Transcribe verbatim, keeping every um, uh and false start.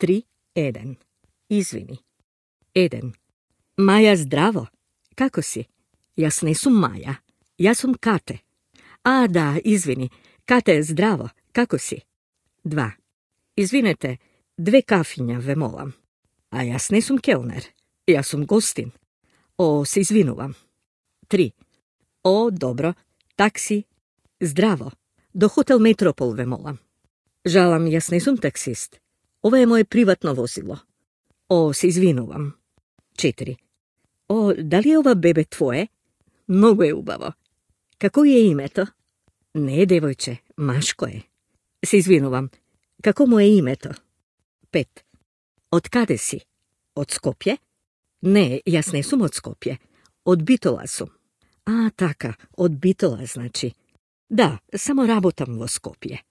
Tri, Eden. Izvini. Eden. Maja, zdravo. Kako si? Jas ne sum Maja. Ja sum Kate. A, da, izvini. Kate, zdravo. Kako si? Dva. Izvinete, dve kafinja ve molam. A jas ne sum kelner. Ja sum gostin. O, se izvinuvam. Tri. O, dobro. Taksi. Zdravo. Do Hotel Metropol ve molam. Žalam, jas ne sum taksist. Ovo je moje privatno vozilo. O, se izvinuvam. Četiri. O, da li je ova bebe tvoje? Mnogo je ubavo. Kako je ime to? Ne, devojče, Maško je. Se izvinuvam. Kako mu je ime to? Pet. Od kade si? Od Skopje? Ne, jas ne sum od Skopje. Od Bitola sum. A, taka, od Bitola znači. Da, samo rabotam vo Skopje.